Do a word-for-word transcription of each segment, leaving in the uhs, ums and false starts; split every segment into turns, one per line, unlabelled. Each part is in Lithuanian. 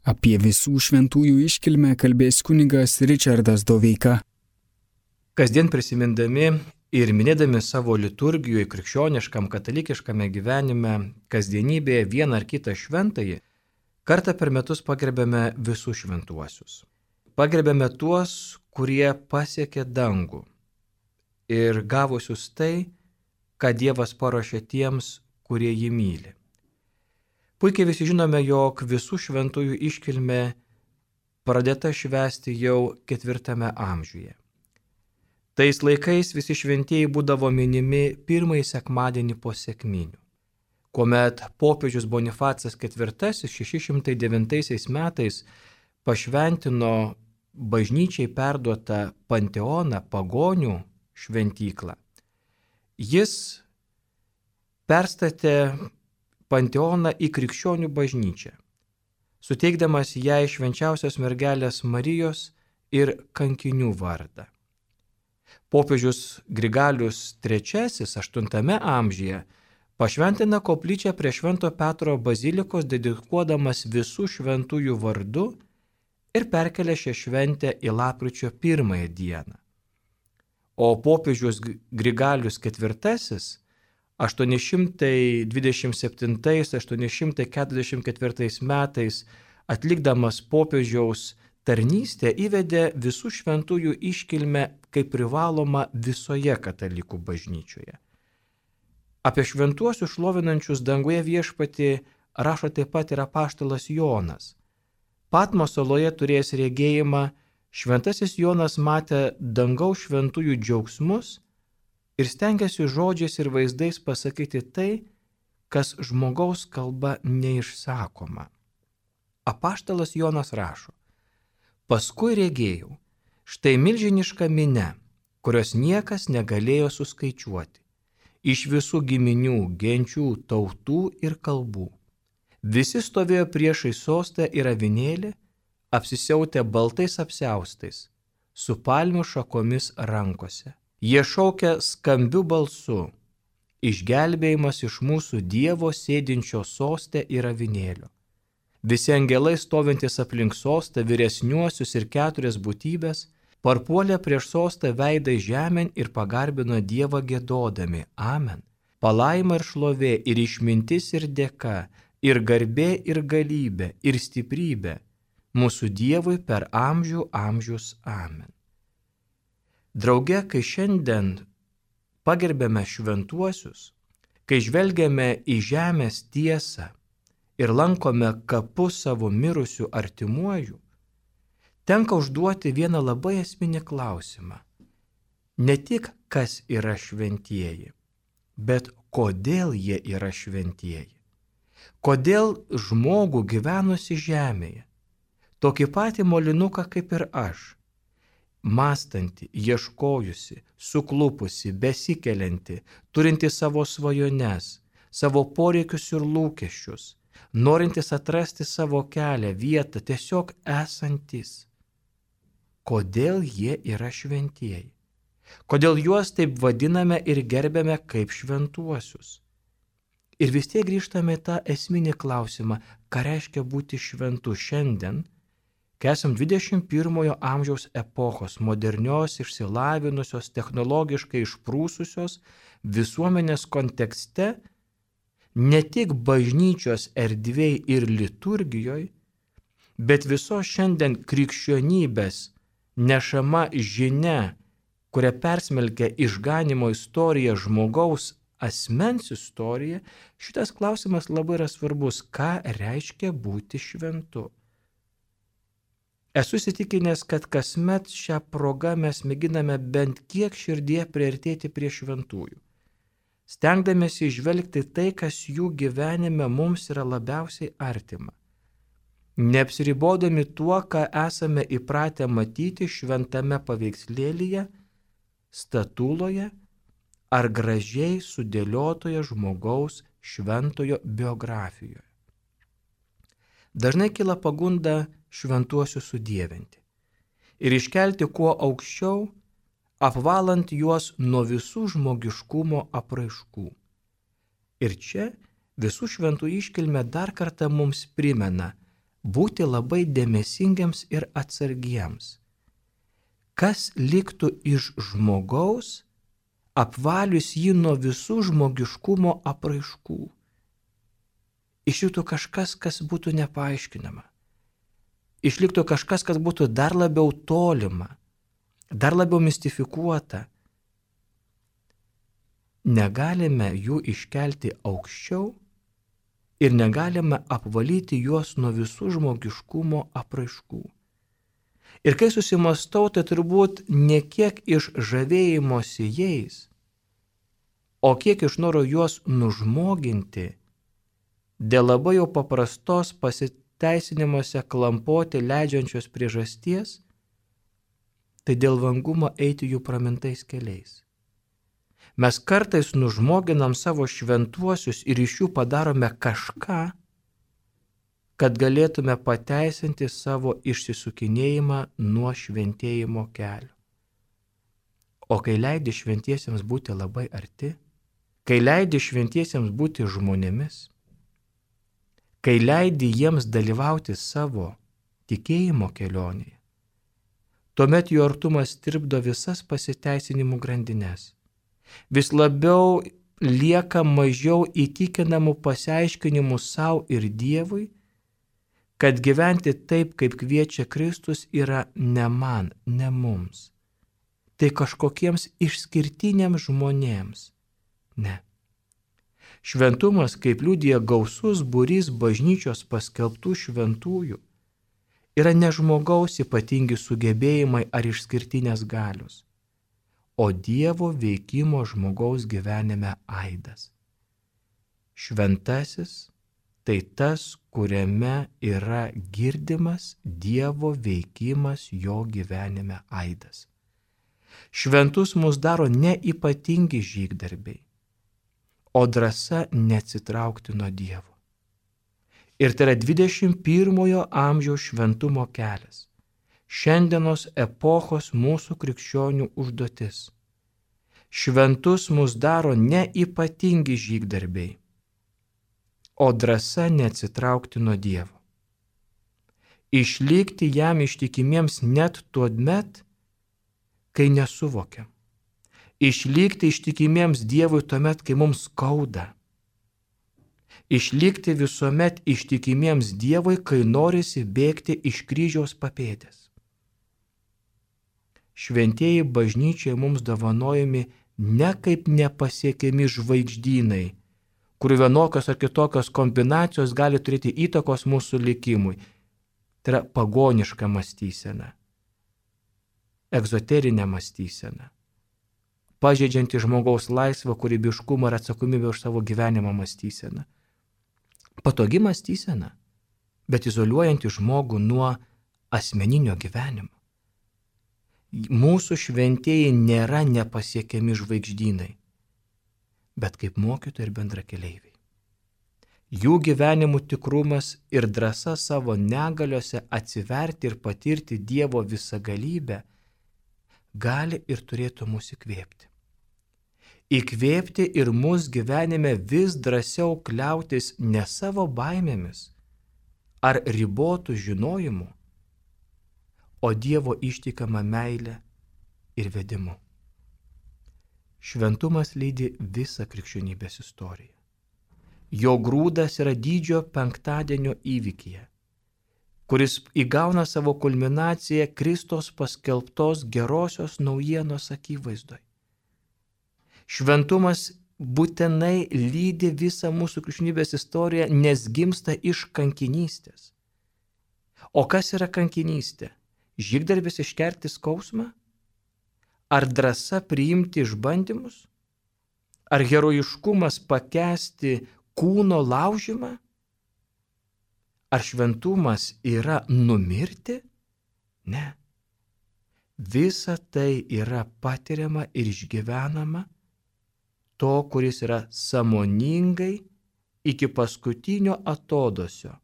Apie visų šventųjų iškilmę kalbės kunigas Ričardas Doveika.
Kasdien prisimindami ir minėdami savo liturgijoje, krikščioniškam, katalikiškame gyvenime, kasdienybėje vieną ar kitą šventąjį, kartą per metus pagerbėme visus šventuosius. Pagerbėme tuos, kurie pasiekė dangų ir gavusius tai, ką Dievas paruošė tiems, kurie jį myli. Puikiai visi žinome, jog visų šventųjų iškilmė pradėta švęsti jau ketvirtame amžiuje. Tais laikais visi šventieji būdavo minimi pirmąjį sekmadienį po sekminių, kuomet popiežius Bonifacas ketvirtasis šeši šimtai devintaisiais metais pašventino bažnyčiai perduotą Panteoną, pagonių šventyklą. Jis perstatė Panteoną į krikščionių bažnyčią, suteikdamas jai švenčiausios mergelės Marijos ir kankinių vardą. Popiežius Grigalius trečiasis aštuntame amžiuje pašventina koplyčią prie Švento Petro bazilikos, dedikuodamas visų šventųjų vardu ir perkelia šią šventę į lapkričio pirmąją dieną. O popiežius Grigalius ketvirtasis aštuoni šimtai dvidešimt septintais - aštuoni šimtai keturiasdešimt ketvirtais metais atlikdamas popiežiaus tarnystę įvedė visų šventųjų iškilmę kaip privaloma visoje katalikų bažnyčioje. Apie šventuosius šlovinančius danguje viešpatį rašo taip pat ir apaštalas Jonas. Patmos saloje turėjęs regėjimą, šventasis Jonas matė dangaus šventųjų džiaugsmus ir stengiasi žodžiais ir vaizdais pasakyti tai, kas žmogaus kalba neišsakoma. Apaštalas Jonas rašo: paskui regėjau, štai milžiniška minia, kurios niekas negalėjo suskaičiuoti, iš visų giminių, genčių, tautų ir kalbų. Visi stovėjo priešai sostą ir avinėlį, apsisiautę baltais apsiaustais, su palmių šakomis rankose. Jie šaukia skambiu balsu: išgelbėjimas iš mūsų Dievo sėdinčio soste ir avinėlio. Visi angelai stovintys aplink sostą, vyresniuosius ir keturias būtybės, parpuolė prieš sostą veidai žemėn ir pagarbino Dievą giedodami: Amen. Palaima ir šlovė, ir išmintis, ir dėka, ir garbė, ir galybė, ir stiprybė mūsų Dievui per amžių amžius. Amen. Drauge, kai šiandien pagerbėme šventuosius, kai žvelgiame į žemės tiesą ir lankome kapus savo mirusių artimuojų, tenka užduoti vieną labai esminį klausimą. Ne tik kas yra šventieji, bet kodėl jie yra šventieji. Kodėl žmogų gyvenusi žemėje, tokį patį molinuką kaip ir aš, mąstanti, ieškojusi, suklupusi, besikelianti, turinti savo svajones, savo poreikius ir lūkesčius, norintis atrasti savo kelią, vietą, tiesiog esantis. Kodėl jie yra šventieji? Kodėl juos taip vadiname ir gerbėme kaip šventuosius? Ir vis tiek grįžtame į tą esminį klausimą, ką reiškia būti šventu šiandien, kai esam dvidešimt pirmojo amžiaus epochos, modernios, išsilavinusios, technologiškai išprūsusios visuomenės kontekste, ne tik bažnyčios erdvėj ir liturgijoje, bet visos šiandien krikščionybės nešama žinia, kurią persmelkia išganimo istorija, žmogaus asmens istorija, šitas klausimas labai yra svarbus. Ką reiškia būti šventu? Esu įsitikinęs, kad kasmet šią progą mes mėginame bent kiek širdie priartėti prie šventųjų, stengdamėsi įžvelgti tai, kas jų gyvenime mums yra labiausiai artima, neapsiribodami tuo, ką esame įpratę matyti šventame paveikslėlyje, statuloje ar gražiai sudėliotoje žmogaus šventojo biografijoje. Dažnai kyla pagunda šventuosius sudievinti ir iškelti kuo aukščiau, apvalant juos nuo visų žmogiškumo apraiškų. Ir čia visų šventų iškilmė dar kartą mums primena, būti labai dėmesingiams ir atsargiems. Kas liktų iš žmogaus, apvalius jį nuo visų žmogiškumo apraiškų? Išliktų kažkas, kas būtų nepaaiškinama. Išliktų kažkas, kas būtų dar labiau tolima, dar labiau mistifikuota. Negalime jų iškelti aukščiau ir negalime apvalyti juos nuo visų žmogiškumo apraiškų. Ir kai susimastau, tai turbūt ne kiek iš žavėjimosi jais, o kiek iš noro juos nužmoginti, dėl labai jau paprastos pasiteisinimuose klampoti leidžiančios priežasties, tai dėl vangumo eiti jų pramintais keliais. Mes kartais nužmoginam savo šventuosius ir iš jų padarome kažką, kad galėtume pateisinti savo išsisukinėjimą nuo šventėjimo kelio. O kai leidi šventiesiems būti labai arti, kai leidi šventiesiems būti žmonėmis, kai leidi jiems dalyvauti savo tikėjimo kelionėje, tuomet jų artumas tirpdo visas pasiteisinimų grandines. Vis labiau lieka mažiau įtikinamų pasiaiškinimų savo ir Dievui, kad gyventi taip, kaip kviečia Kristus, yra ne man, ne mums. Tai kažkokiems išskirtiniams žmonėms. Ne. Šventumas, kaip liudija gausus būrys bažnyčios paskelbtų šventųjų, yra ne žmogaus ypatingi sugebėjimai ar išskirtinės galios, o Dievo veikimo žmogaus gyvenime aidas. Šventasis tai tas, kuriame yra girdimas Dievo veikimas jo gyvenime aidas. Šventus mus daro ne ypatingi žygdarbiai, o drąsa neatsitraukti nuo Dievo. Ir tai yra dvidešimt pirmojo amžiaus šventumo kelias, šiandienos epochos mūsų krikščionių užduotis. Šventus mus daro ne ypatingi žygdarbiai, o drąsa neatsitraukti nuo Dievo. Išlikti jam ištikimiems net tuomet, kai nesuvokiam. Išlikti ištikimiems Dievui tuomet, kai mums skauda. Išlikti visuomet ištikimiems Dievui, kai norisi bėgti iš kryžiaus papėdės. Šventieji bažnyčiai mums dovanojami ne kaip nepasiekiami žvaigždynai, kurių vienokios ar kitokios kombinacijos gali turėti įtakos mūsų likimui. Tai yra pagoniška mąstysena, egzoterinė mąstysena, pažeidžianti žmogaus laisvę, kūrybiškumą ir atsakomybę už savo gyvenimą mąstysena. Patogi mąstysena, bet izoliuojanti žmogų nuo asmeninio gyvenimo. Mūsų šventieji nėra nepasiekiami žvaigždynai, bet kaip mokytojai ir bendrakeleiviai. Jų gyvenimų tikrumas ir drąsa savo negaliose atsiverti ir patirti Dievo visagalybę gali ir turėtų mus įkvėpti. Įkvėpti ir mus gyvenime vis drąsiau kliautis ne savo baimėmis ar ribotų žinojimu, o Dievo ištikama meilė ir vedimu. Šventumas lydi visą krikščionybės istoriją. Jo grūdas yra didžio penktadienio įvykyje, kuris įgauna savo kulminaciją Kristos paskelbtos gerosios naujienos akivaizdoje. Šventumas būtinai lydi visą mūsų krikščionybės istoriją, nes gimsta iš kankinystės. O kas yra kankinystė? Žygdarbis iškerti skausmą? Ar drąsa priimti išbandymus? Ar herojiškumas pakęsti kūno laužymą? Ar šventumas yra numirti? Ne. Visa tai yra patiriama ir išgyvenama to, kuris yra sąmoningai iki paskutinio atodosio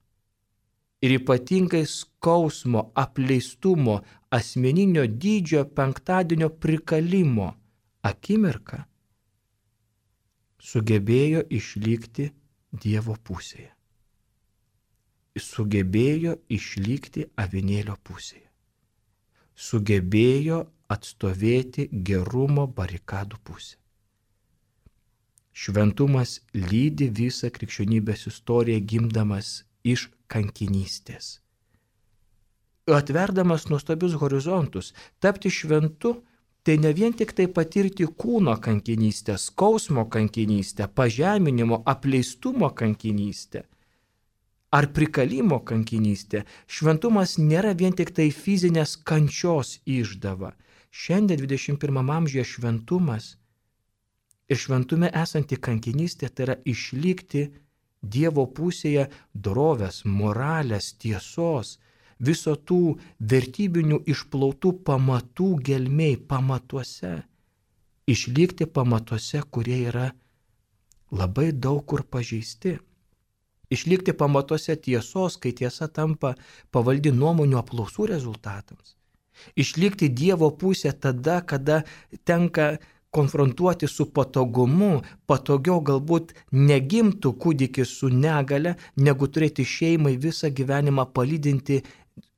ir ypatingai skausmo, apleistumo, asmeninio dydžio penktadienio prikalimo akimirką sugebėjo išlikti Dievo pusėje. sugebėjo išlikti avinėlio pusėje. Sugebėjo atstovėti gerumo barikadų pusę. Šventumas lydi visą krikščionybės istoriją gimdamas iš kankinystės. Atverdamas nuostabius horizontus, tapti šventu, tai ne vien tik tai patirti kūno kankinystę, skausmo kankinystę, pažeminimo, apleistumo kankinystę ar prikalimo kankinystę. Šventumas nėra vien tik tai fizinės kančios išdava. Šiandien dvidešimt pirmame amžiuje šventumas ir šventume esanti kankinystė tai yra išlikti Dievo pusėje dorovės, moralės, tiesos, viso tų vertybinių išplautų pamatų gelmėj, pamatuose. Išlikti pamatuose, kurie yra labai daug kur pažeisti. Išlikti pamatuose tiesos, kai tiesa tampa pavaldi nuomonių apklausų rezultatams. Išlikti Dievo pusė tada, kada tenka konfrontuoti su patogumu, patogiau galbūt negimtų kūdikis su negale, negu turėti šeimai visą gyvenimą palydinti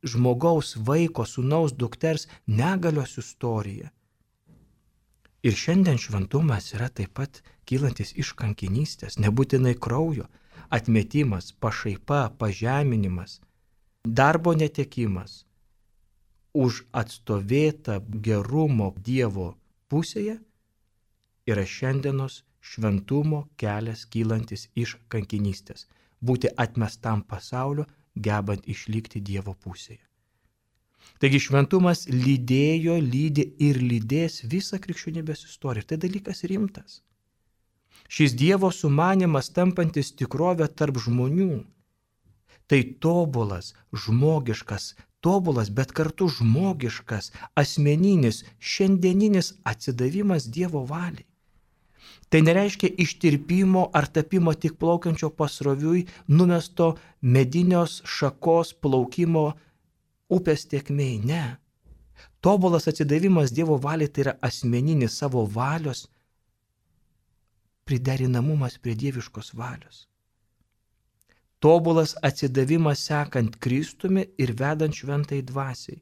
žmogaus, vaiko, sūnaus, dukters negalios istoriją. Ir šiandien šventumas yra taip pat kylantis iš kankinystės, nebūtinai kraujo, atmetimas, pašaipa, pažeminimas, darbo netekimas, už atstovėtą gerumo Dievo pusėje yra šiandienos šventumo kelias kylantis iš kankinystės, būti atmestam pasaulio, gebant išlikti Dievo pusėje. Taigi šventumas lydėjo, lydi ir lydės visą krikščionybės istoriją. Tai dalykas rimtas. Šis Dievo sumanymas tampantis tikrovę tarp žmonių. Tai tobulas, žmogiškas, tobulas, bet kartu žmogiškas, asmeninis, šiandieninis atsidavimas Dievo valiai. Tai nereiškia ištirpimo ar tapimo tik plaukiančio pasroviui, numesto medinios šakos plaukimo upės tėkmėj. Ne. Tobulas atsidavimas Dievo valiai tai yra asmeninis savo valios priderinamumas prie dieviškos valios. Tobulas atsidavimas sekant Kristumi ir vedant šventai dvasiai.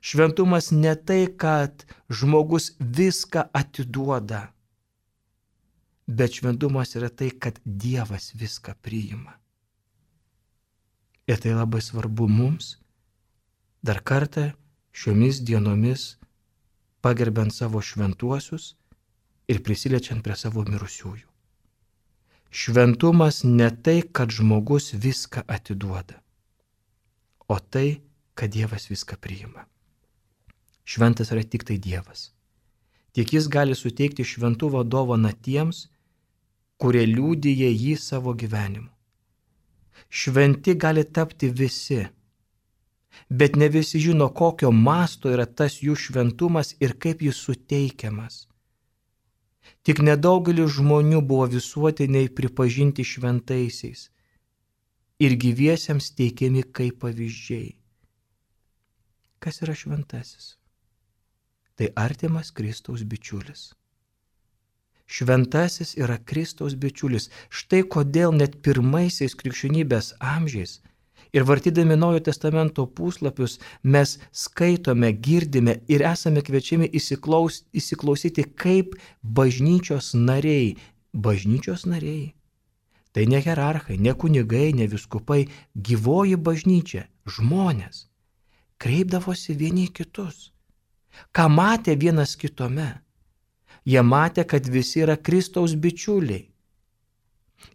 Šventumas ne tai, kad žmogus viską atiduoda, bet šventumas yra tai, kad Dievas viską priima. Ir tai labai svarbu mums, dar kartą šiomis dienomis pagerbent savo šventuosius ir prisiliečiant prie savo mirusiųjų. Šventumas ne tai, kad žmogus viską atiduoda, o tai, kad Dievas viską priima. Šventas yra tik tai Dievas. Tik jis gali suteikti šventumo dovaną tiems, kurie liudija jį savo gyvenimu. Šventi gali tapti visi, bet ne visi žino, kokio masto yra tas jų šventumas ir kaip jis suteikiamas. Tik nedaugelis žmonių buvo visuotiniai pripažinti šventaisiais ir gyviesiems teikiami kaip pavyzdžiai. Kas yra šventasis? Tai artimas Kristaus bičiulis. Šventasis yra Kristaus bičiulis. Štai kodėl net pirmaisiais krikščionybės amžiais ir vartydami Naujojo testamento puslapius mes skaitome, girdime ir esame kviečiami įsiklaus, įsiklausyti kaip bažnyčios nariai. Bažnyčios nariai. Tai ne hierarchai, ne kunigai, ne vyskupai, gyvoji bažnyčia, žmonės kreipdavosi vieni kitus. Ką matė vienas kitome? Jie matė, kad visi yra Kristaus bičiuliai.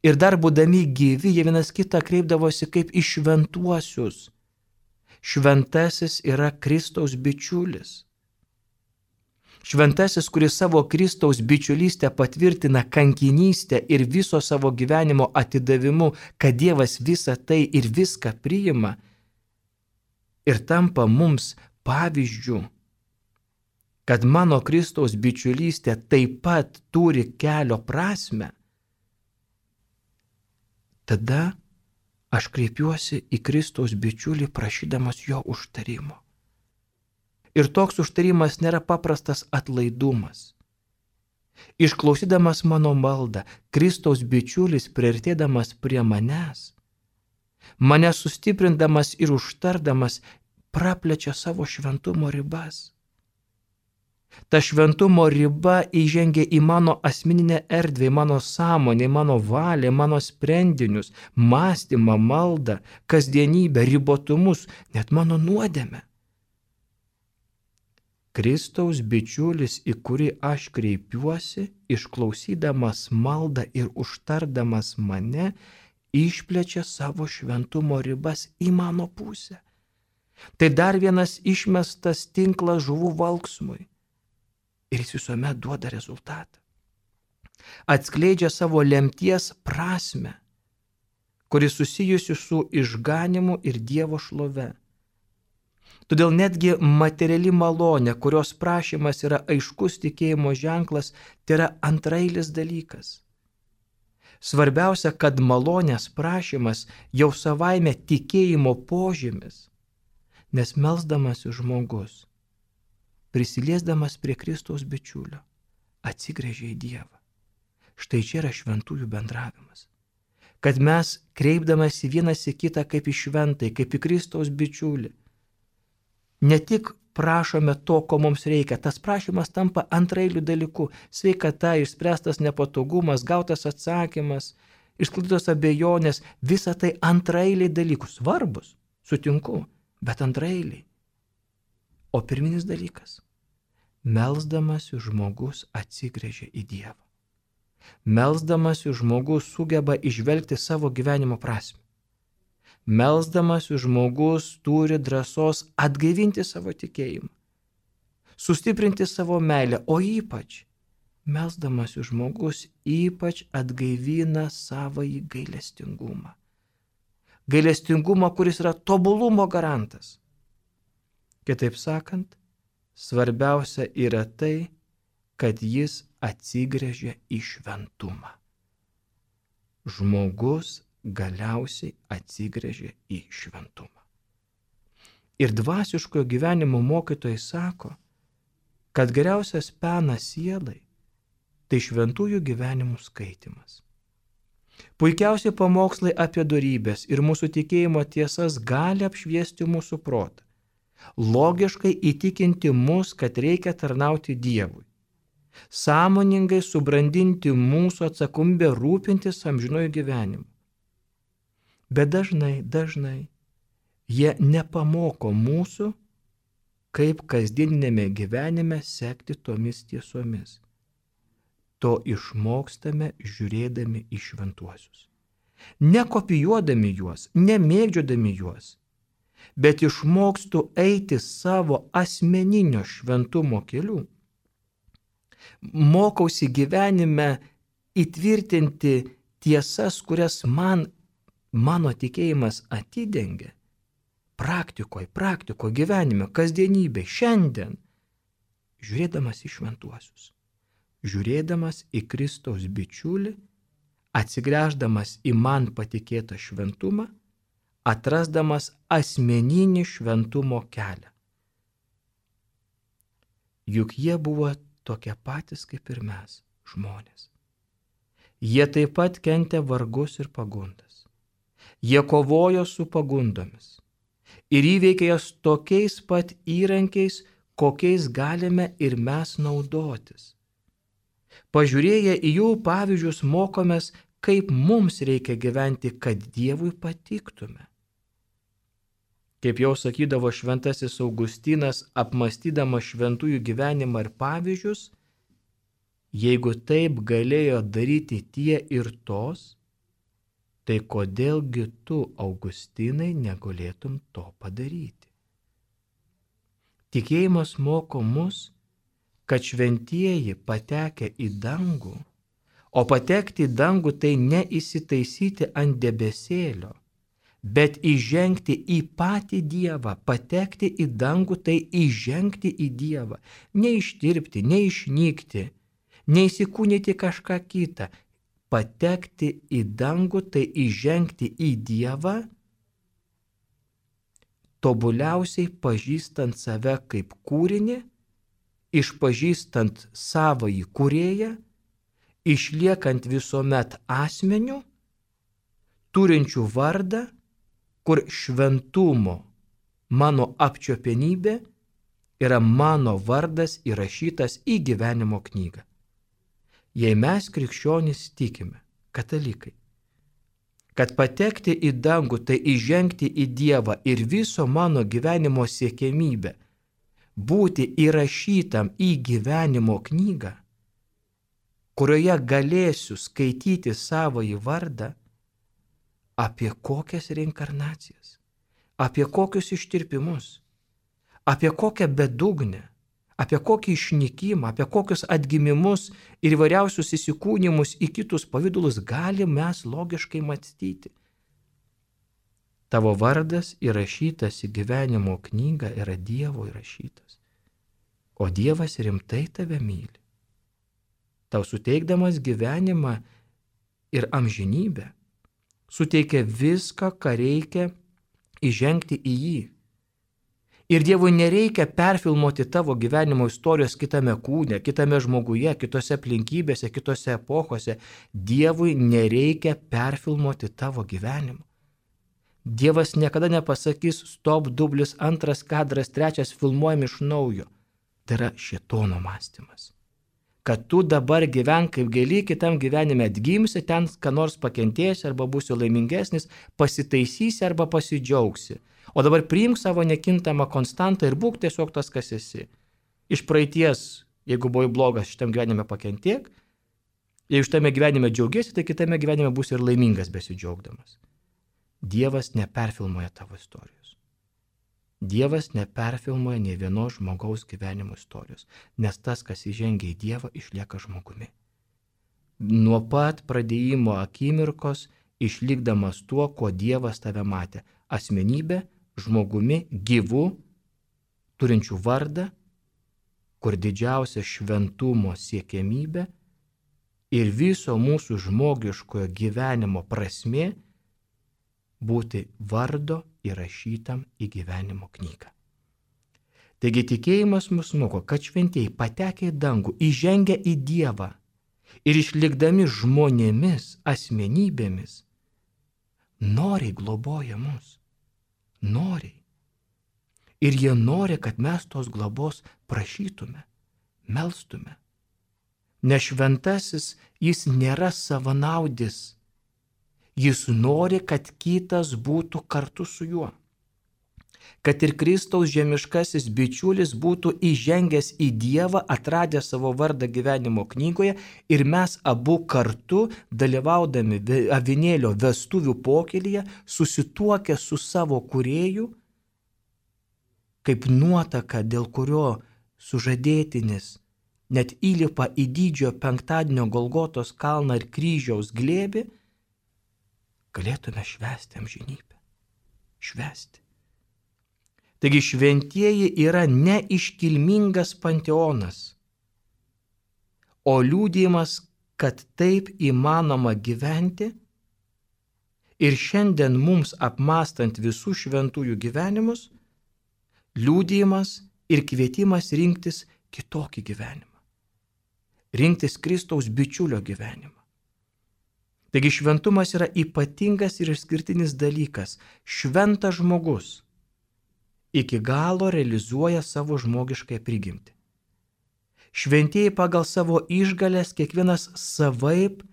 Ir dar būdami gyvi, jie vienas kitą kreipdavosi kaip į šventuosius. Šventasis yra Kristaus bičiulis. Šventasis, kuris savo Kristaus bičiulystę patvirtina kankinystę ir viso savo gyvenimo atidavimu, kad Dievas visą tai ir viską priima ir tampa mums pavyzdžiu, kad mano Kristaus bičiulystė taip pat turi kelio prasme, tada aš kreipiuosi į Kristaus bičiulį prašydamas jo užtarimo. Ir toks užtarimas nėra paprastas atlaidumas. Išklausydamas mano maldą, Kristaus bičiulis priartėdamas prie manęs, mane sustiprindamas ir užtardamas praplečia savo šventumo ribas. Ta šventumo riba įžengia į mano asmeninę erdvę, į mano sąmonę, į mano valią, mano sprendinius, mąstymą, maldą, kasdienybę, ribotumus, net mano nuodėmę. Kristaus bičiulis, į kurį aš kreipiuosi, išklausydamas maldą ir užtardamas mane, išplečia savo šventumo ribas į mano pusę. Tai dar vienas išmestas tinklas žuvų valksmui. Ir jis visuomet duoda rezultatą. Atskleidžia savo lemties prasme, kuris susijusi su išganimu ir Dievo šlove. Todėl netgi materiali malonė, kurios prašymas yra aiškus tikėjimo ženklas, tai yra antrailis dalykas. Svarbiausia, kad malonės prašymas jau savaime tikėjimo požymis, nes melsdamasi žmogus, prisiliesdamas prie Kristaus bičiulio, atsigręžia į Dievą. Štai čia yra šventųjų bendravimas. Kad mes kreipdamasi vienas į kitą kaip į šventai, kaip į Kristaus bičiulį, ne tik prašome to, ko mums reikia, tas prašymas tampa antrailiu dalyku. Sveikata, išspręstas nepatogumas, gautas atsakymas, išsklaidytos abejonės, visa tai antrailiai dalykų, svarbus, sutinku, bet antrailiai. O pirminis dalykas – melsdamasi žmogus atsigręžia į Dievą. Melsdamasi žmogus sugeba išvelgti savo gyvenimo prasmę. Melsdamasi žmogus turi drąsos atgaivinti savo tikėjimą, sustiprinti savo meilę, o ypač melsdamasi žmogus ypač atgaivina savąjį gailestingumą. Gailestingumą, kuris yra tobulumo garantas. Kitaip sakant, svarbiausia yra tai, kad jis atsigręžia į šventumą. Žmogus galiausiai atsigręžia į šventumą. Ir dvasiškojo gyvenimo mokytojai sako, kad geriausias penas sielai tai šventųjų gyvenimų skaitimas. Puikiausi pamokslai apie dorybės ir mūsų tikėjimo tiesas gali apšviesti mūsų protą, logiškai įtikinti mus, kad reikia tarnauti Dievui, sąmoningai subrandinti mūsų atsakomybę rūpintis amžinuoju gyvenimu. Bet dažnai, dažnai jie nepamoko mūsų, kaip kasdieninėme gyvenime sekti tomis tiesomis. To išmokstame žiūrėdami į šventuosius. Nekopijuodami juos, nemėgdžiodami juos, bet išmokstu eiti savo asmeninio šventumo keliu. Mokausi gyvenime įtvirtinti tiesas, kurias man, mano tikėjimas atidengia. Praktikoje, praktikoje, gyvenime, kasdienybė, šiandien, žiūrėdamas į šventuosius, žiūrėdamas į Kristaus bičiulį, atsigręždamas į man patikėtą šventumą, atrasdamas asmeninį šventumo kelią. Juk jie buvo tokie patys kaip ir mes, žmonės. Jie taip pat kentė vargus ir pagundas. Jie kovojo su pagundomis ir įveikė jas tokiais pat įrankiais, kokiais galime ir mes naudotis. Pažiūrėję į jų pavyzdžius mokomės, kaip mums reikia gyventi, kad Dievui patiktume. Kaip jau sakydavo šventasis Augustinas, apmąstydamas šventųjų gyvenimą ir pavyzdžius, jeigu taip galėjo daryti tie ir tos, tai kodėlgi tu, Augustinai, negalėtum to padaryti? Tikėjimas moko mus, kad šventieji patekę į dangų, o patekti į dangų tai ne įsitaisyti ant debesėlio, bet įžengti į patį Dievą. Patekti į dangų tai įžengti į Dievą, neištirpti, neišnykti, neįsikūnyti kažką kitą. Patekti į dangų tai įžengti į Dievą, tobuliausiai pažįstant save kaip kūrinį, išpažįstant savąjį kūrėją, išliekant visuomet asmeniu, turinčių vardą kur šventumo mano apčiopienybė yra mano vardas įrašytas į gyvenimo knygą. Jei mes krikščionys tikime, katalikai, kad patekti į dangų tai įžengti į Dievą ir viso mano gyvenimo siekiamybę būti įrašytam į gyvenimo knygą, kurioje galėsiu skaityti savąjį vardą, apie kokias reinkarnacijas, apie kokius ištirpimus, apie kokią bedugnę, apie kokį išnykimą, apie kokius atgimimus ir įvairiausius įsikūnimus į kitus pavydulus gali mes logiškai mąstyti. Tavo vardas įrašytas į gyvenimo knygą yra Dievo įrašytas, o Dievas rimtai tave myli. Tau suteikdamas gyvenimą ir amžinybę, suteikia viską, ką reikia įžengti į jį. Ir Dievui nereikia perfilmuoti tavo gyvenimo istorijos kitame kūne, kitame žmoguje, kitose aplinkybėse, kitose epochose. Dievui nereikia perfilmuoti tavo gyvenimo. Dievas niekada nepasakys stop, dublis, antras kadras, trečias, filmuojam iš naujo. Tai yra šėtono mąstymas. Kad tu dabar gyvenk kaip gali, kitam gyvenime atgimsi, ten ką nors pakentėsi arba būsi laimingesnis, pasitaisysi arba pasidžiaugsi. O dabar priimk savo nekintamą konstantą ir būk tiesiog tas, kas esi. Iš praeities, jeigu buvai blogas, šitam gyvenime pakentiek, jeigu šitame gyvenime džiaugiesi, tai kitame gyvenime būsi ir laimingas besidžiaugdamas. Dievas neperfilmuoja tavo istorijos. Dievas neperfilmuoja nei vienos žmogaus gyvenimo istorijos, nes tas, kas įžengia į Dievą, išlieka žmogumi. Nuo pat pradėjimo akimirkos išlikdamas tuo, kuo Dievas tave matė. Asmenybė, žmogumi, gyvu, turinčių vardą, kur didžiausia šventumo siekiamybė ir viso mūsų žmogiškojo gyvenimo prasmė būti vardo įrašytam į gyvenimo knygą. Taigi tikėjimas mus moko, kad šventieji patekę į dangų, įžengę į Dievą ir išlikdami žmonėmis, asmenybėmis, noriai globoja mus. Noriai. Ir jie nori, kad mes tos globos prašytume, melstume. Nes šventasis jis nėra savanaudis. Jis nori, kad kitas būtų kartu su juo. Kad ir Kristaus žemiškasis bičiulis būtų įžengęs į Dievą, atradęs savo vardą gyvenimo knygoje ir mes abu kartu, dalyvaudami avinėlio vestuvių pokylyje, susituokę su savo kūrėju, kaip nuotaka, dėl kurio sužadėtinis net įlipa į didžiojo penktadienio Golgotos kalną ir kryžiaus glėbį, galėtume švęsti amžinybę. Švęsti. Taigi šventieji yra ne iškilmingas panteonas, o liudijimas, kad taip įmanoma gyventi ir šiandien mums apmąstant visų šventųjų gyvenimus, liudijimas ir kvietimas rinktis kitokį gyvenimą. Rinktis Kristaus bičiulio gyvenimą. Taigi šventumas yra ypatingas ir išskirtinis dalykas. Šventas žmogus iki galo realizuoja savo žmogiškąją prigimtį. Šventieji pagal savo išgales kiekvienas savaip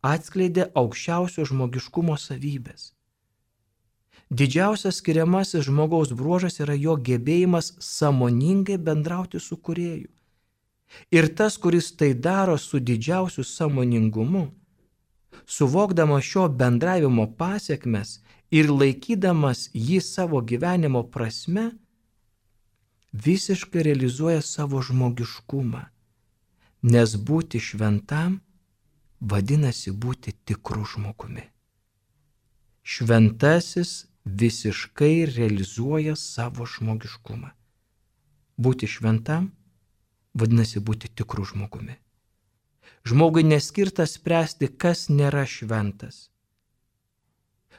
atskleidė aukščiausio žmogiškumo savybės. Didžiausias skiriamasis žmogaus bruožas yra jo gebėjimas sąmoningai bendrauti su kūrėju. Ir tas, kuris tai daro su didžiausiu sąmoningumu, suvokdamas šio bendravimo pasiekmes ir laikydamas jį savo gyvenimo prasme, visiškai realizuoja savo žmogiškumą, nes būti šventam vadinasi būti tikru žmogumi. Šventasis visiškai realizuoja savo žmogiškumą. Būti šventam vadinasi būti tikru žmogumi. Žmogui neskirta spręsti, kas nėra šventas.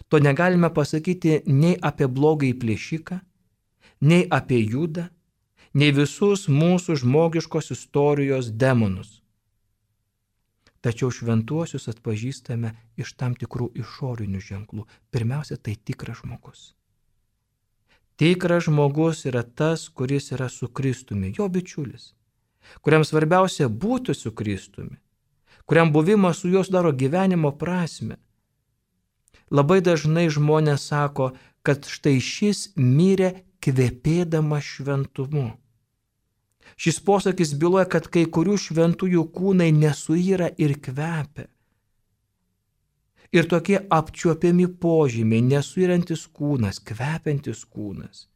To negalime pasakyti nei apie blogąjį plėšiką, nei apie Judą, nei visus mūsų žmogiškos istorijos demonus. Tačiau šventuosius atpažįstame iš tam tikrų išorinių ženklų. Pirmiausia, tai tikras žmogus. Tikras žmogus yra tas, kuris yra su Kristumi, jo bičiulis, kuriam svarbiausia būti su Kristumi, kuriam buvimas su juo sudaro gyvenimo prasme. Labai dažnai žmonės sako, kad štai šis mirė kvepėdamas šventumu. Šis posakis byloja, kad kai kurių šventųjų kūnai nesuyra ir kvepia. Ir tokie apčiuopiami požymiai, nesuyrantis kūnas, kvepiantis kūnas,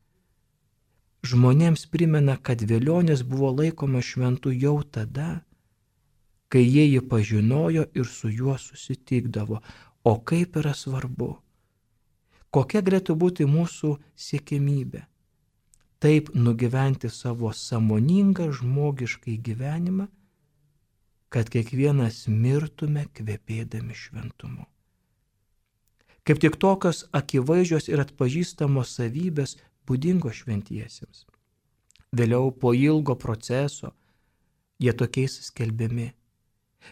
žmonėms primena, kad velionis buvo laikomas šventu jau tada, kai jie jį pažinojo ir su juo susitikdavo. O kaip yra svarbu, kokia galėtų būti mūsų siekiamybė? Taip nugyventi savo sąmoningą žmogiškai gyvenimą, kad kiekvienas mirtume kvepėdami šventumu. Kaip tik tokios akivaizdžios ir atpažįstamos savybės būdingos šventiesiems. Vėliau po ilgo proceso jie tokiais skelbiami.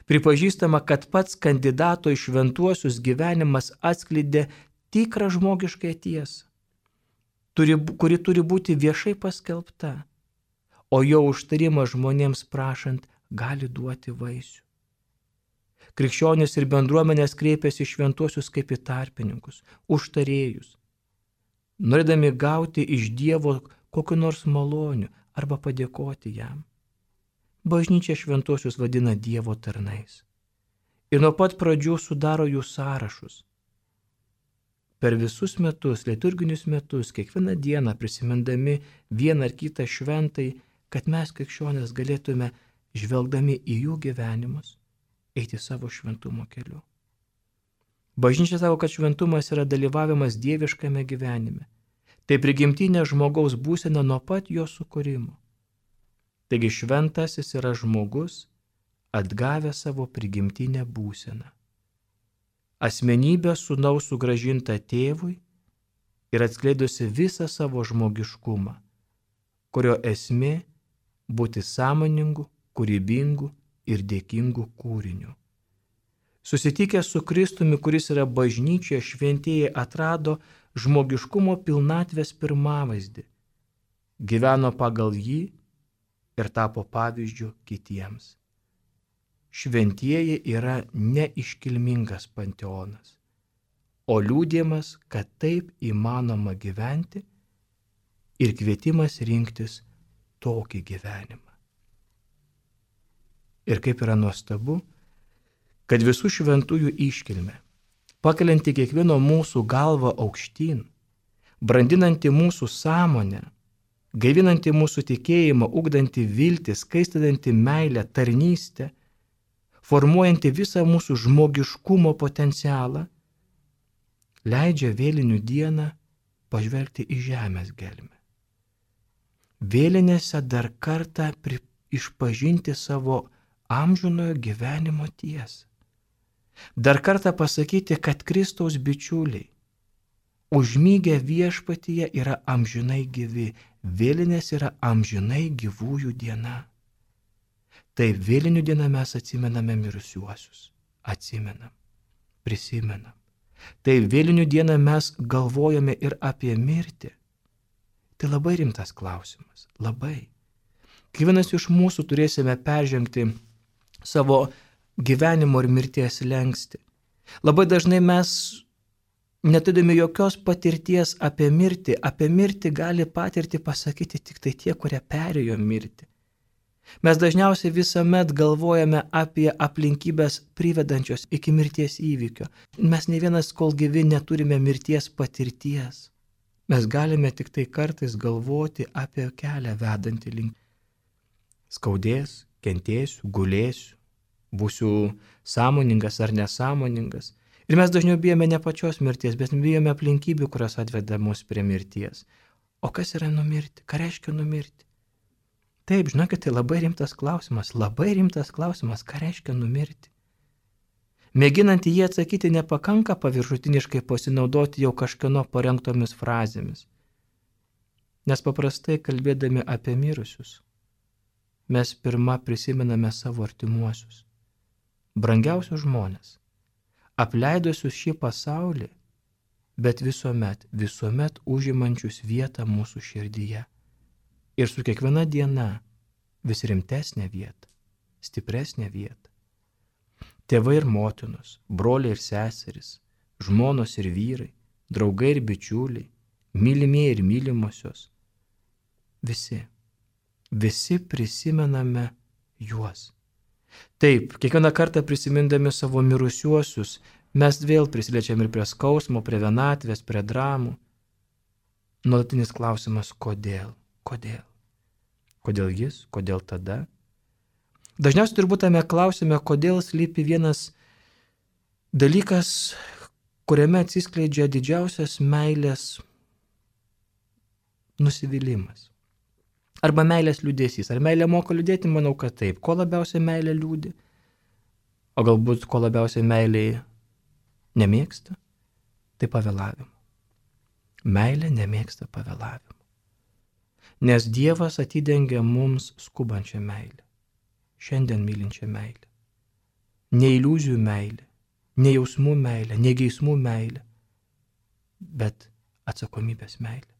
Pripažįstama, kad pats kandidato į šventuosius gyvenimas atskleidė tikrą žmogišką tiesą, turi, kuri turi būti viešai paskelbta, o jo užtarimas žmonėms prašant gali duoti vaisių. Krikščionys ir bendruomenės kreipiasi šventuosius kaip į tarpininkus, užtarėjus, norėdami gauti iš Dievo kokiu nors maloniu arba padėkoti jam. Bažnyčia šventuosius vadina Dievo tarnais ir nuo pat pradžių sudaro jų sąrašus. Per visus metus, liturginius metus, kiekvieną dieną prisimindami vieną ar kitą šventai, kad mes krikščionys galėtume, žvelgdami į jų gyvenimus, eiti savo šventumo keliu. Bažnyčia sako, kad šventumas yra dalyvavimas dieviškame gyvenime. Tai prigimtinė žmogaus būsena nuo pat jo sukūrimo. Taigi šventasis yra žmogus, atgavęs savo prigimtinę būseną. Asmenybė sūnaus sugrąžinta tėvui ir atskleidusi visą savo žmogiškumą, kurio esmė būti sąmoningu, kūrybingu ir dėkingu kūriniu. Susitikę su Kristumi, kuris yra bažnyčioje, šventieji atrado žmogiškumo pilnatvės pirmavaizdį, gyveno pagal jį ir tapo pavyzdžiu kitiems. Šventieji yra neiškilmingas panteonas, o liudijimas, kad taip įmanoma gyventi ir kvietimas rinktis tokį gyvenimą. Ir kaip yra nuostabu, kad visų šventųjų iškilmė, pakelianti kiekvieno mūsų galvą aukštyn, brandinanti mūsų sąmonę, gaivinanti mūsų tikėjimą, ugdanti viltį, skaistinanti meilę, tarnystę, formuojanti visą mūsų žmogiškumo potencialą, leidžia vėlinių dieną pažvelgti į žemės gelmę. Vėlinėse dar kartą pri, išpažinti savo amžinojo gyvenimo tiesą. Dar kartą pasakyti, kad Kristaus bičiuliai, užmygę viešpatyje yra amžinai gyvi, vėlinės yra amžinai gyvųjų diena. Taip vėlinių dieną mes atsimename mirusiuosius, atsimenam, prisimenam. Taip vėlinių dieną mes galvojame ir apie mirtį. Tai labai rimtas klausimas, labai. Kiekvienas iš mūsų turėsime peržengti savo gyvenimo ir mirties slenkstį. Labai dažnai mes, neturėdami jokios patirties apie mirtį, apie mirtį gali patirti pasakyti tik tai tie, kurie perėjo mirtį. Mes dažniausiai visuomet galvojame apie aplinkybės privedančios iki mirties įvykio. Mes ne vienas, kol gyvi, neturime mirties patirties. Mes galime tik tai kartais galvoti apie kelią vedantį link. Skaudės, kentėsiu, gulėsiu, būsiu sąmoningas ar nesąmoningas. Ir mes dažniau bijome ne pačios mirties, bet bijome aplinkybių, kurios atveda mus prie mirties. O kas yra numirti? Ką reiškia numirti? Taip, žinokit, tai labai rimtas klausimas, labai rimtas klausimas, ką reiškia numirti. Mėginant į jį atsakyti nepakanka paviršutiniškai pasinaudoti jau kažkieno parengtomis frazėmis. Nes paprastai kalbėdami apie mirusius, mes pirma prisimename savo artimuosius. brangiausius žmonės, apleidusius šį pasaulį, bet visuomet, visuomet užimančius vietą mūsų širdyje. Ir su kiekviena diena vis rimtesnė vieta, stipresnė vieta. Tėvai ir motinos, broliai ir seserys, žmonos ir vyrai, draugai ir bičiuliai, mylimieji ir mylimosios. Visi, visi prisimename juos. Taip, kiekvieną kartą prisimindami savo mirusiuosius, mes vėl prisiliečiam ir prie skausmo, prie vienatvės, prie dramų. Nuolatinis klausimas, kodėl, kodėl? Kodėl jis, kodėl tada? Dažniausiai turbūt tame klausime, kodėl slypi vienas dalykas, kuriame atsiskleidžia didžiausias meilės nusivylimas. Arba meilės liūdesys. Ar meilė moka liūdėti? Manau, kad taip. Ko labiausiai meilė liūdi? O galbūt ko labiausiai meilė nemėgsta? Tai pavėlavimo. Meilė nemėgsta pavėlavimo. Nes Dievas atidengia mums skubančią meilę. Šiandien mylinčią meilę. Ne iliuzijų meilę, ne jausmų meilę, ne geismų meilę, bet atsakomybės meilę.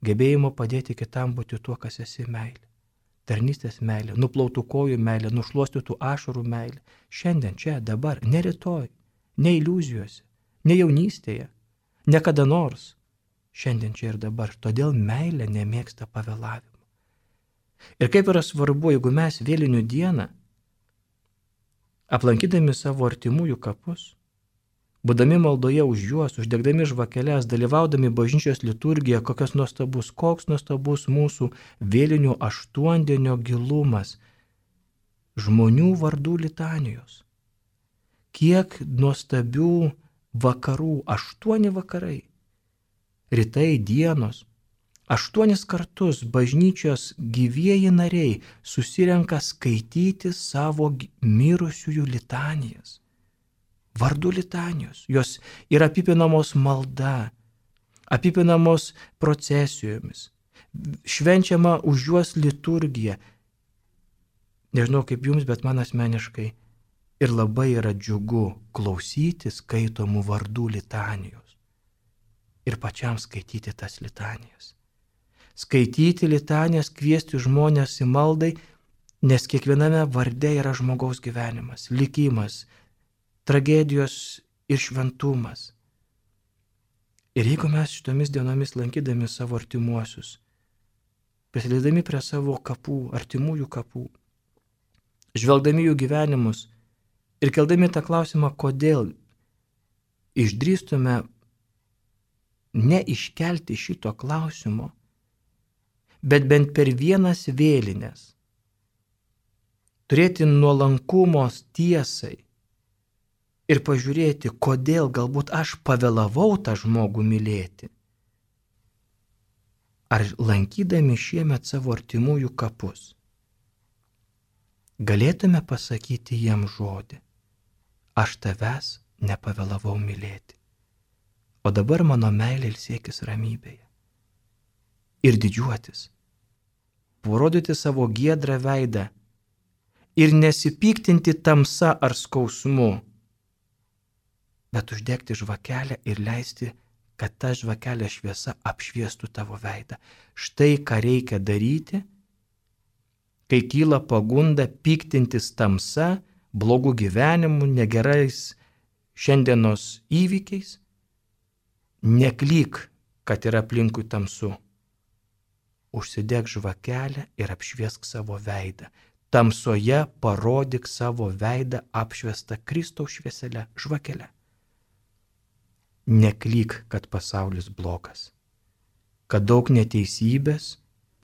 Gebėjimo padėti kitam būti tuo, kas esi meilė. Tarnystės meilė, nuplautų kojų meilė, nušluostytų ašarų meilė. Šiandien, čia, dabar, ne rytoj, ne iliuzijose, ne jaunystėje, ne kada nors. Šiandien, čia ir dabar. Todėl meilė nemėgsta pavėlavimo. Ir kaip yra svarbu, jeigu mes vėlinių dieną, aplankydami savo artimųjų kapus, būdami maldoje už juos, uždegdami žvakeles, dalyvaudami bažnyčios liturgiją, kokios nuostabus, koks nuostabus mūsų vėlinių aštuondienio gilumas, žmonių vardų litanijos. Kiek nuostabių vakarų, aštuoni vakarai, rytai, dienos, aštuonis kartus bažnyčios gyvieji nariai susirenka skaityti savo mirusiųjų litanijas. Vardų litanijos, jos yra apipinamos malda, apipinamos procesijomis, švenčiama už juos liturgija. Nežinau kaip jums, bet man asmeniškai ir labai yra džiugu klausyti skaitomų vardų litanijos ir pačiam skaityti tas litanijas. Skaityti litanijas, kviesti žmonės į maldai, nes kiekviename varde yra žmogaus gyvenimas, likimas, tragedijos ir šventumas. Ir jeigu mes šitomis dienomis lankydami savo artimuosius, prisidėdami prie savo kapų, artimųjų kapų, žvelgdami jų gyvenimus ir keldami tą klausimą, kodėl išdrįstume neiškelti šito klausimo, bet bent per vienas vėlines turėti nuolankumos tiesai, ir pažiūrėti, kodėl galbūt aš pavėlavau tą žmogų mylėti. Ar lankydami šiemet savo artimųjų kapus, galėtume pasakyti jiem žodį, aš tavęs nepavėlavau mylėti, o dabar mano meilė ilsėkis ramybėje. Ir didžiuotis, parodyti savo giedrą veidą ir nesipiktinti tamsa ar skausmu, bet uždegti žvakelę ir leisti, kad ta žvakelė šviesa apšviestų tavo veidą. Štai ką reikia daryti, kai kyla pagunda piktintis tamsa, blogų gyvenimų, negerais šiandienos įvykiais. Neklyk, kad yra aplinkui tamsu. Užsidek žvakelę ir apšviesk savo veidą. Tamsoje parodyk savo veidą apšviestą Kristaus švieselę, žvakelę. Neklyk, kad pasaulis blogas, kad daug neteisybės,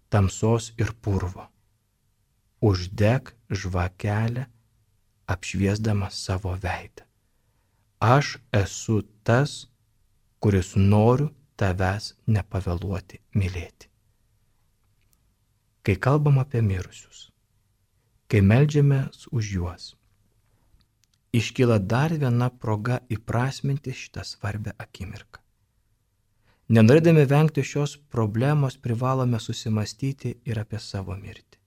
tamsos ir purvo. Uždek žvakelę, apšviesdamas savo veidą. Aš esu tas, kuris noriu tavęs nepavėluoti mylėti. Kai kalbam apie mirusius, kai meldžiamės už juos, iškyla dar viena proga įprasminti šitą svarbią akimirką. Nenorėdami vengti šios problemos, privalome susimastyti ir apie savo mirtį.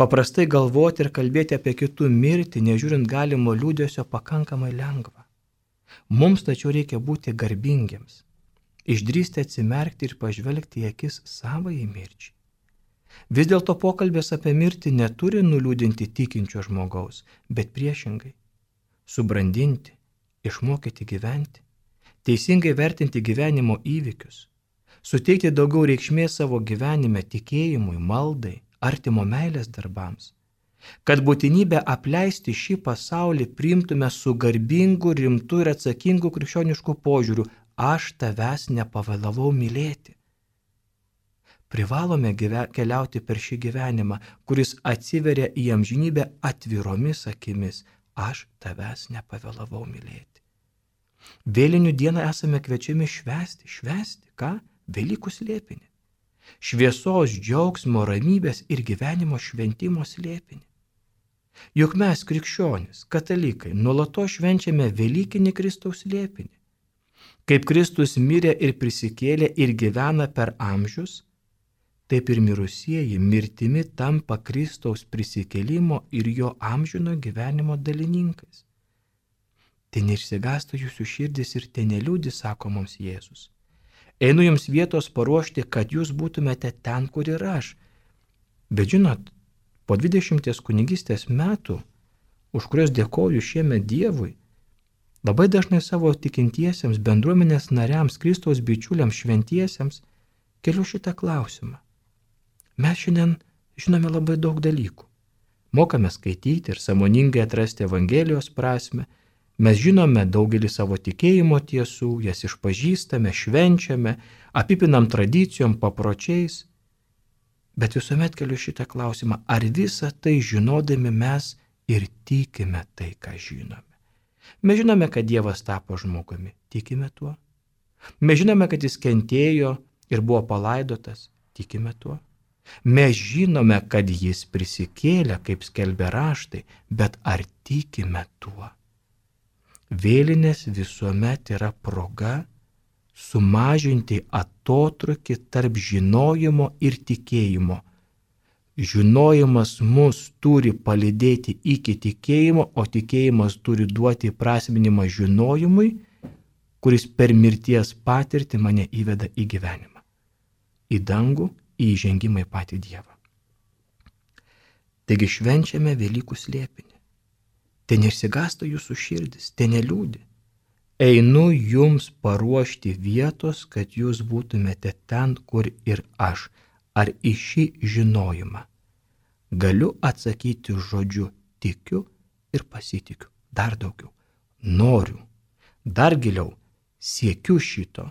Paprastai galvoti ir kalbėti apie kitų mirtį, nežiūrint galimo liūdesio, pakankamai lengva. Mums tačiau reikia būti garbingiems, išdrįsti atsimerkti ir pažvelgti į akis savai mirčiai. Vis dėlto pokalbės apie mirtį neturi nuliūdinti tikinčio žmogaus, bet priešingai - subrandinti, išmokyti gyventi, teisingai vertinti gyvenimo įvykius, suteikti daugiau reikšmės savo gyvenime tikėjimui, maldai, artimo meilės darbams, kad būtinybę apleisti šį pasaulį priimtume su garbingu, rimtu ir atsakingu krikščionišku požiūriu - aš tavęs nepavėlavau mylėti. Privalome gyve, keliauti per šį gyvenimą, kuris atsiveria į amžinybę atviromis akimis - aš tavęs nepavėlavau mylėti. Vėlinių dieną esame kviečiami švęsti, švęsti, ką? Velykų slėpinį. Šviesos, džiaugsmo, ramybės ir gyvenimo šventimo slėpinį. Juk mes, krikščionys, katalikai, nuolatos švenčiame Velykinį Kristaus slėpinį. Kaip Kristus mirė ir prisikėlė ir gyvena per amžius, taip ir mirusieji mirtimi tampa Kristaus prisikėlimo ir jo amžino gyvenimo dalininkais. Tai neišsigąstų jūsų širdis ir te neliūdi, sako mums Jėzus. Einu jums vietos paruošti, kad jūs būtumėte ten, kur ir aš. Bet žinot, po dvidešimties kunigystės metų, už kurios dėkoju šiemet Dievui, labai dažnai savo tikintiesiems, bendruomenės nariams, Kristaus bičiuliams, šventiesiems keliu šitą klausimą. Mes šiandien žinome labai daug dalykų. Mokame skaityti ir sąmoningai atrasti Evangelijos prasme. Mes žinome daugelį savo tikėjimo tiesų, jas išpažįstame, švenčiame, apipinam tradicijom, papročiais. Bet visuomet keliu šitą klausimą, ar visą tai žinodami mes ir tikime tai, ką žinome. Mes žinome, kad Dievas tapo žmogumi, tikime tuo. Mes žinome, kad jis kentėjo ir buvo palaidotas, tikime tuo. Mes žinome, kad jis prisikėlė, kaip skelbia raštai, bet ar tikime tuo? Vėlinės visuomet yra proga sumažinti atotrūkį tarp žinojimo ir tikėjimo. Žinojimas mus turi palydėti iki tikėjimo, o tikėjimas turi duoti prasminimą žinojimui, kuris per mirties patirtį mane įveda į gyvenimą, į dangų, į įžengimą į patį Dievą. Taigi švenčiame Velykų slėpinį. Te neišsigąsta jūsų širdis, te neliūdi. Einu jums paruošti vietos, kad jūs būtumėte ten, kur ir aš. Ar į šį žinojimą galiu atsakyti žodžiu tikiu ir pasitikiu. Dar daugiau. Noriu. Dar giliau. Siekiu šito.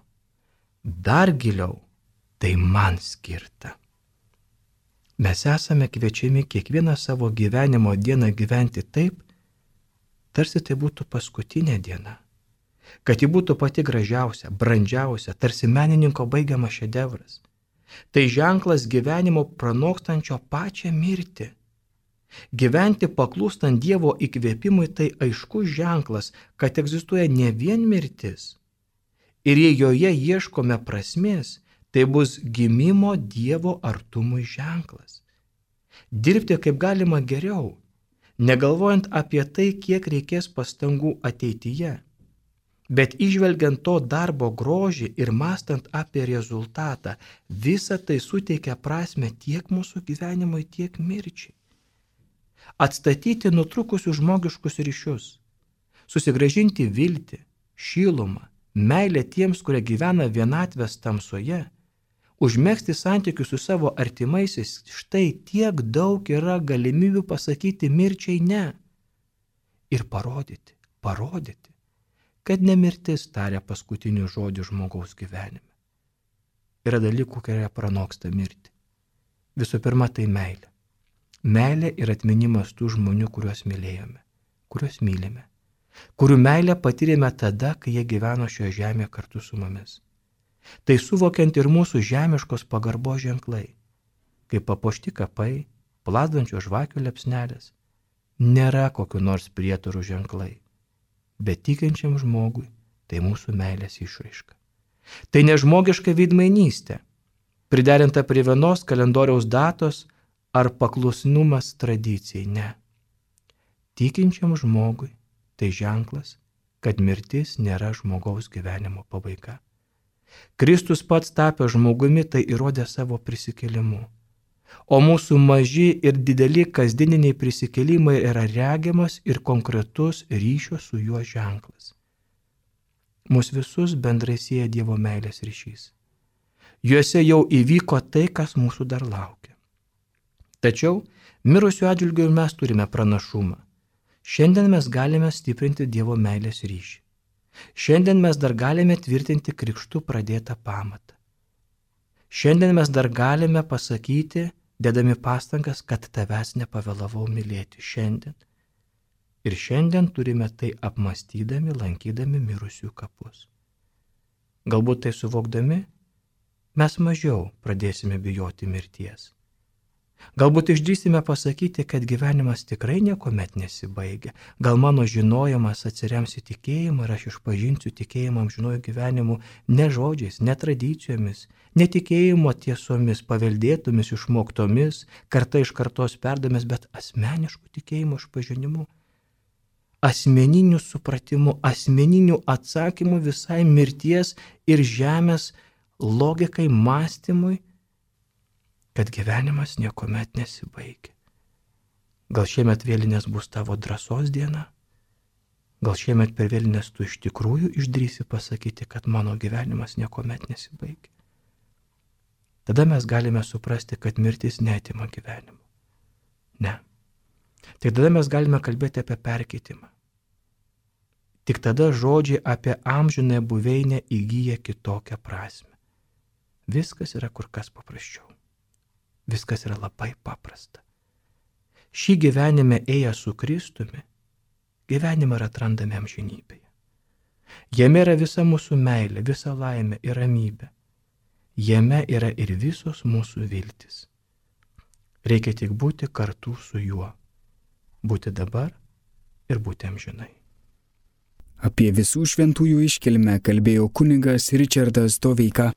Dar giliau. Tai man skirta. Mes esame kviečiami kiekvieną savo gyvenimo dieną gyventi taip, tarsi tai būtų paskutinė diena. Kad ji būtų pati gražiausia, brandžiausia, tarsi menininko baigiamas šedevras. Tai ženklas gyvenimo pranokstančio pačią mirtį. Gyventi paklūstant Dievo įkvėpimui tai aiškus ženklas, kad egzistuoja ne vien mirtis. Ir jei joje ieškome prasmės, tai bus gimimo Dievo artumui ženklas. Dirbti kaip galima geriau, negalvojant apie tai, kiek reikės pastangų ateityje, bet įžvelgiant to darbo grožį ir mąstant apie rezultatą, visa tai suteikia prasme tiek mūsų gyvenimui, tiek mirčiai. Atstatyti nutrukusius žmogiškus ryšius, susigrąžinti viltį, šilumą, meilę tiems, kurie gyvena vienatvės tamsoje, užmegzti santykius su savo artimaisiais, štai tiek daug yra galimybių pasakyti mirčiai ne. Ir parodyti, parodyti, kad ne mirtis taria paskutinį žodį žmogaus gyvenime. Yra dalykų, kurie pranoksta mirtį. Visų pirma, tai meilė. Meilė ir atminimas tų žmonių, kuriuos mylėjome, kuriuos mylime, kurių meilę patyrėme tada, kai jie gyveno šioje žemėje kartu su mumis. Tai suvokiant ir mūsų žemiškos pagarbos ženklai, kaip papuošti kapai, plazdančios žvakių liepsnelės, nėra kokiu nors prietarų ženklai, bet tikinčiam žmogui tai mūsų meilės išraiška. Tai nežmogiška veidmainystė, priderinta prie vienos kalendoriaus datos ar paklusnumas tradicijai, ne. Tikinčiam žmogui tai ženklas, kad mirtis nėra žmogaus gyvenimo pabaiga. Kristus pats tapęs žmogumi tai įrodė savo prisikėlimu. O mūsų maži ir dideli kasdieniniai prisikėlimai yra regiamas ir konkretus ryšio su juo ženklas. Mūsų visus bendrai sieja Dievo meilės ryšys. Juose jau įvyko tai, kas mūsų dar laukia. Tačiau mirusių atžvilgių mes turime pranašumą. Šiandien mes galime stiprinti Dievo meilės ryšį. Šiandien mes dar galime tvirtinti krikštu pradėtą pamatą. Šiandien mes dar galime pasakyti, dedami pastangas, kad tavęs nepavėlavau mylėti šiandien. Ir šiandien turime tai apmastydami, lankydami mirusių kapus. Galbūt tai suvokdami, mes mažiau pradėsime bijoti mirties. Galbūt išdrįsime pasakyti, kad gyvenimas tikrai niekuomet nesibaigia. Gal mano žinojimas atsirems į tikėjimą ir aš išpažinsiu tikėjimą amžinuoju gyvenimu ne žodžiais, ne tradicijomis, ne tikėjimo tiesomis, paveldėtomis, išmoktomis, karta iš kartos perdomis, bet asmenišku tikėjimo išpažinimu, asmeniniu supratimu, asmeniniu atsakymu visai mirties ir žemės logikai, mąstymui, kad gyvenimas niekuomet nesibaigia. Gal šiemet vėlinės bus tavo drąsos diena? Gal šiemet per vėlinės tu iš tikrųjų išdrįsi pasakyti, kad mano gyvenimas niekuomet nesibaigia? Tada mes galime suprasti, kad mirtis neatima gyvenimo. Ne. Tik tada mes galime kalbėti apie perkeitimą. Tik tada žodžiai apie amžinąją buveinę įgyja kitokią prasme. Viskas yra kur kas paprasčiau. Viskas yra labai paprasta. Šį gyvenime ėję su Kristumi, gyvenimą yra atrandame amžinybėje. Jame yra visa mūsų meilė, visa laimė ir ramybė. Jame yra ir visos mūsų viltis. Reikia tik būti kartu su juo. Būti dabar ir būti amžinai.
Apie visų šventųjų iškilmę kalbėjo kunigas Ričardas Doveika.